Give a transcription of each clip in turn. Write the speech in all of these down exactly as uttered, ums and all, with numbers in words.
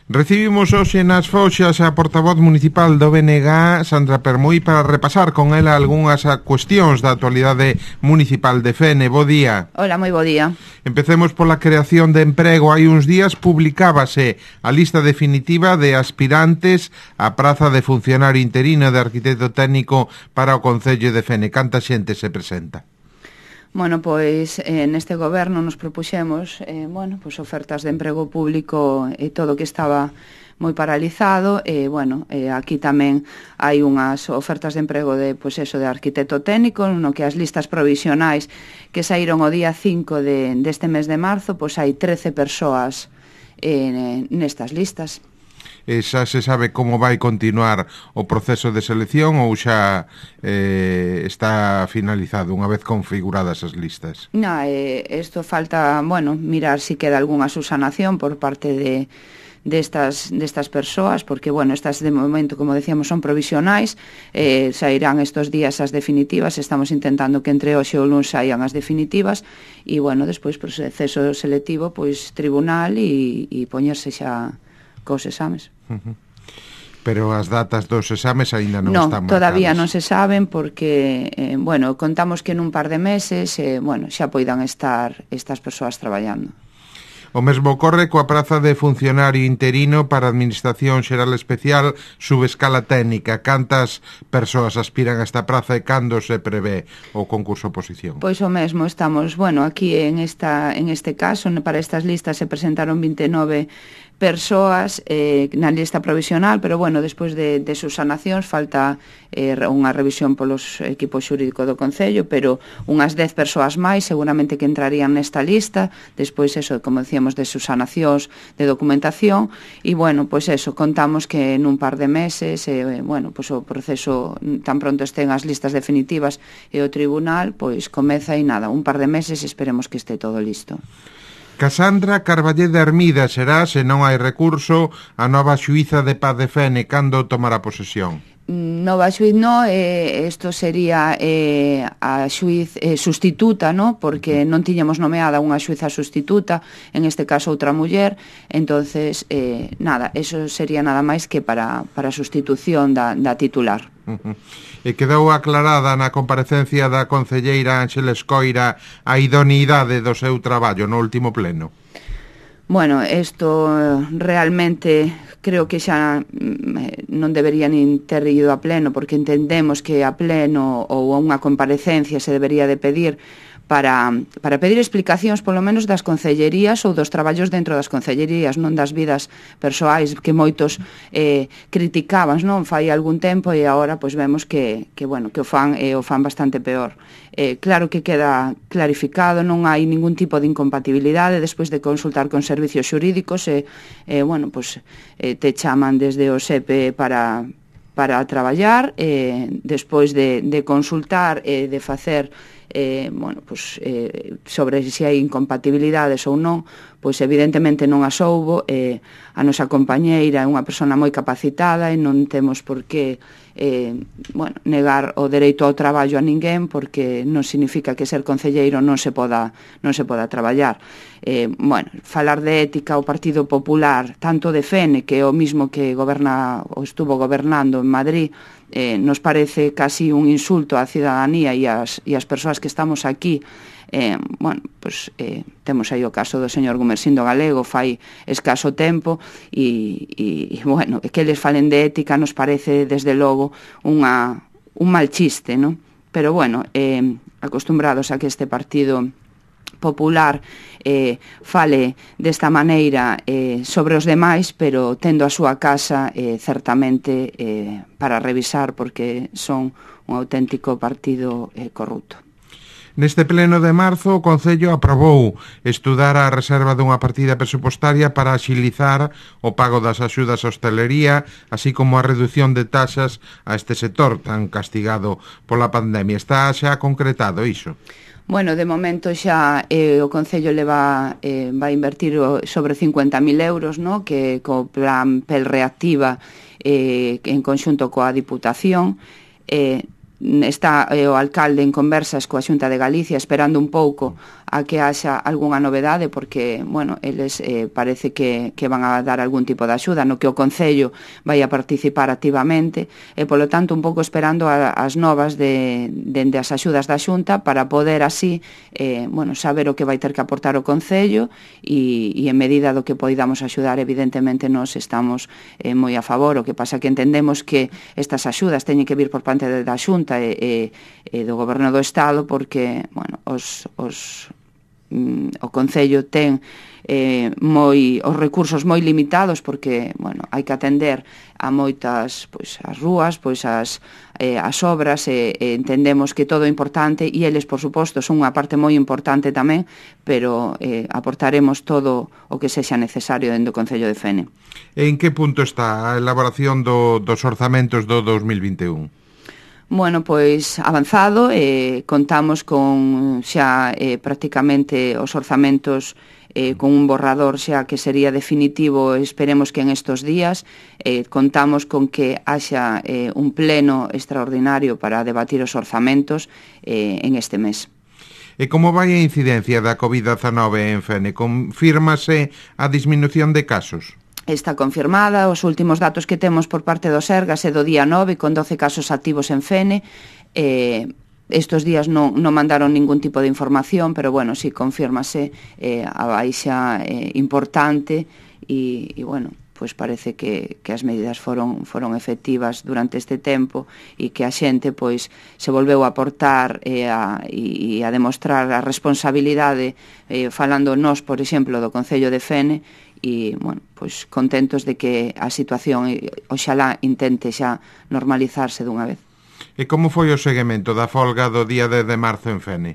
Recibimos hoxe nas Foxas a portavoz municipal do B N G, Sandra Permuy, para repasar con ela algunhas cuestións da actualidade municipal de Fene. Bo día. Hola, moi bo día. Empecemos pola creación de emprego. Hai uns días publicábase a lista definitiva de aspirantes á praza de funcionario interino de arquitecto técnico para o Concello de Fene. Canta xente se presenta? Bueno, pois eh, neste goberno nos propuxemos eh, bueno, pois ofertas de emprego público e todo o que estaba moi paralizado e, eh, bueno, eh, aquí tamén hai unhas ofertas de emprego de, pois eso, de arquitecto técnico, no que as listas provisionais que saíron o día cinco de, deste mes de marzo, pois hai trece persoas eh, nestas listas. E xa se sabe como vai continuar o proceso de selección ou xa eh, está finalizado unha vez configuradas as listas? Na, eh, esto falta, bueno, mirar si queda algunha subsanación por parte de destas destas persoas, porque, bueno, estas de momento, como decíamos, son provisionais, eh, sairán estos días as definitivas, estamos intentando que entre hoxe e o luns saian as definitivas, e, bueno, despois, proceso selectivo, pois, tribunal e, e poñerse xa cos exames. Uh-huh. Pero as datas dos exames aínda non no, están marcadas. Todavía non se saben porque, eh, bueno, contamos que nun par de meses, eh, bueno, xa poidan estar estas persoas traballando. O mesmo ocorre coa praza de funcionario interino para a Administración Xeral Especial subescala técnica. Cantas persoas aspiran a esta praza e cando se prevé o concurso oposición? Pois o mesmo, estamos, bueno, aquí en esta en este caso, para estas listas se presentaron vinte e nove persoas eh, na lista provisional, pero, bueno, despois de, de subsanacións falta eh, unha revisión polos equipos xurídicos do Concello, pero unhas dez persoas máis seguramente que entrarían nesta lista, despois eso, como decíamos, de subsanacións, de documentación, e, bueno, pois eso, contamos que nun par de meses, eh, bueno, pois o proceso, tan pronto estén as listas definitivas e o tribunal, pois comeza e nada, un par de meses esperemos que este todo listo. Casandra Carballeda Hermida será, se non hai recurso, a nova xuíza de Paz de Fene. Cando tomará posesión? Nova xuiz no, eh, isto sería eh, a xuiz eh, sustituta, no? Porque non tiñamos nomeada unha xuiza sustituta, en este caso outra muller, entonces, eh, nada, eso sería nada máis que para, para sustitución da, da titular. Uh-huh. E quedou aclarada na comparecencia da concelleira Ánxeles Coira a idoneidade do seu traballo no último pleno? Bueno, isto realmente creo que xa non debería nin ter ido a pleno, porque entendemos que a pleno ou a unha comparecencia se debería de pedir para, para pedir explicacións polo menos das concellerías ou dos traballos dentro das concellerías, non das vidas persoais que moitos eh, criticaban, non, fai algún tempo, e agora pois vemos que, que bueno, que o fan e eh, o fan bastante peor. Eh, claro que queda clarificado, non hai ningún tipo de incompatibilidade despois de consultar con servicios xurídicos e, eh, bueno, pois eh, te chaman desde o S E P para para traballar, eh, despois de, de consultar e eh, de facer eh, bueno, pues, eh, sobre se hai incompatibilidades ou non, pois evidentemente non as houbo, eh, a nosa compañeira é unha persona moi capacitada e non temos por que eh, bueno, negar o dereito ao traballo a ninguén, porque non significa que ser concelleiro non se poda, non se poda traballar. Eh, bueno, falar de ética o Partido Popular, tanto de Fene, que é o mismo que goberna ou estuvo gobernando en Madrid, eh, nos parece casi un insulto á cidadanía e as, e as persoas que estamos aquí. Eh, bueno, pues, eh, temos aí o caso do señor Gumersindo Galego fai escaso tempo e, e, e bueno, que les falen de ética nos parece desde logo unha, un mal chiste, ¿no? Pero bueno, eh, acostumbrados a que este Partido Popular eh, fale desta maneira eh, sobre os demais, pero tendo a súa casa eh, certamente eh, para revisar, porque son un auténtico partido eh, corrupto. Neste pleno de marzo, o Concello aprobou estudar a reserva dunha partida presupostaria para axilizar o pago das axudas á hostelería, así como a reducción de taxas a este sector tan castigado pola pandemia. Está xa concretado iso? Bueno, de momento xa eh, o Concello leva, eh, vai invertir sobre cincuenta mil euros, no? Que co plan P E L reactiva eh, en conxunto coa Diputación. Eh, está eh, o alcalde en conversas coa Xunta de Galicia esperando un pouco a que haxa algunha novedade, porque, bueno, eles eh, parece que, que van a dar algún tipo de axuda no que o Concello vai a participar activamente, e polo tanto un pouco esperando a, as novas de, de, de as axudas da Xunta para poder así eh, bueno, saber o que vai ter que aportar o Concello e, e en medida do que poidamos axudar, evidentemente nós estamos eh, moi a favor. O que pasa que entendemos que estas axudas teñen que vir por parte da Xunta e, e, e do Goberno do Estado, porque, bueno, os, os o Concello ten eh, moi os recursos moi limitados, porque, bueno, hai que atender a moitas, pois, as rúas, pois as eh, as obras, e, e entendemos que todo é importante, e eles, por suposto, son unha parte moi importante tamén, pero eh, aportaremos todo o que sexa necesario dentro do Concello de Fene. En que punto está a elaboración do, dos orzamentos do dos mil vinte e un? Bueno, pois avanzado, eh, contamos con xa eh, prácticamente os orzamentos eh, con un borrador xa que sería definitivo, esperemos que en estos días. Eh, contamos con que haxa eh, un pleno extraordinario para debatir os orzamentos eh, en este mes. E como vai a incidencia da covid dezanove en Fene? Confírmase a disminución de casos? Está confirmada, os últimos datos que temos por parte do Sergas é do día nove, con doce casos activos en Fene. Eh, estos días non, non mandaron ningún tipo de información, pero bueno, si confírmase eh, a baixa eh, importante e, e bueno, pois parece que, que as medidas foron, foron efectivas durante este tempo, e que a xente pois se volveu a aportar e a, e, e a demostrar a responsabilidade, eh, falando nós, por exemplo, do Concello de Fene, e, bueno, pois contentos de que a situación oxalá intente xa normalizarse dunha vez. E como foi o seguimento da folga do día dez de marzo en Fene?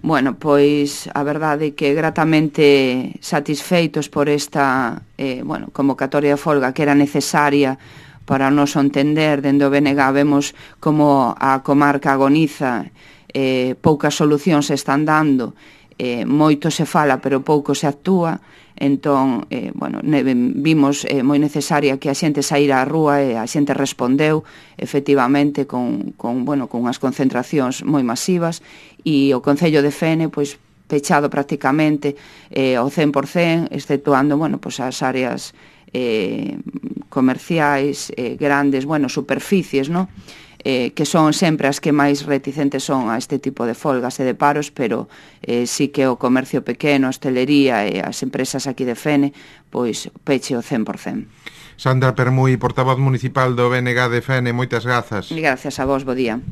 Bueno, pois a verdade é que gratamente satisfeitos por esta eh, bueno, convocatoria de folga que era necesaria para o noso entender. Dende o B N G vemos como a comarca agoniza, eh, poucas solucións se están dando, eh, moito se fala pero pouco se actúa. Entón, eh, bueno, vimos eh, moi necesaria que a xente saíra á rúa, e a xente respondeu efectivamente con, con, bueno, con unhas concentracións moi masivas, e o Concello de Fene pois pechado prácticamente eh, ao cen por cen, exceptuando, bueno, pois as áreas eh, comerciais, eh, grandes, bueno, superficies, ¿no? Eh, que son sempre as que máis reticentes son a este tipo de folgas e de paros, pero eh, sí que o comercio pequeno, a hostelería e as empresas aquí de Fene, pois peche o cen por cen. Sandra Permui, portavoz municipal do B N G de Fene, moitas grazas. Gracias a vos, bo día.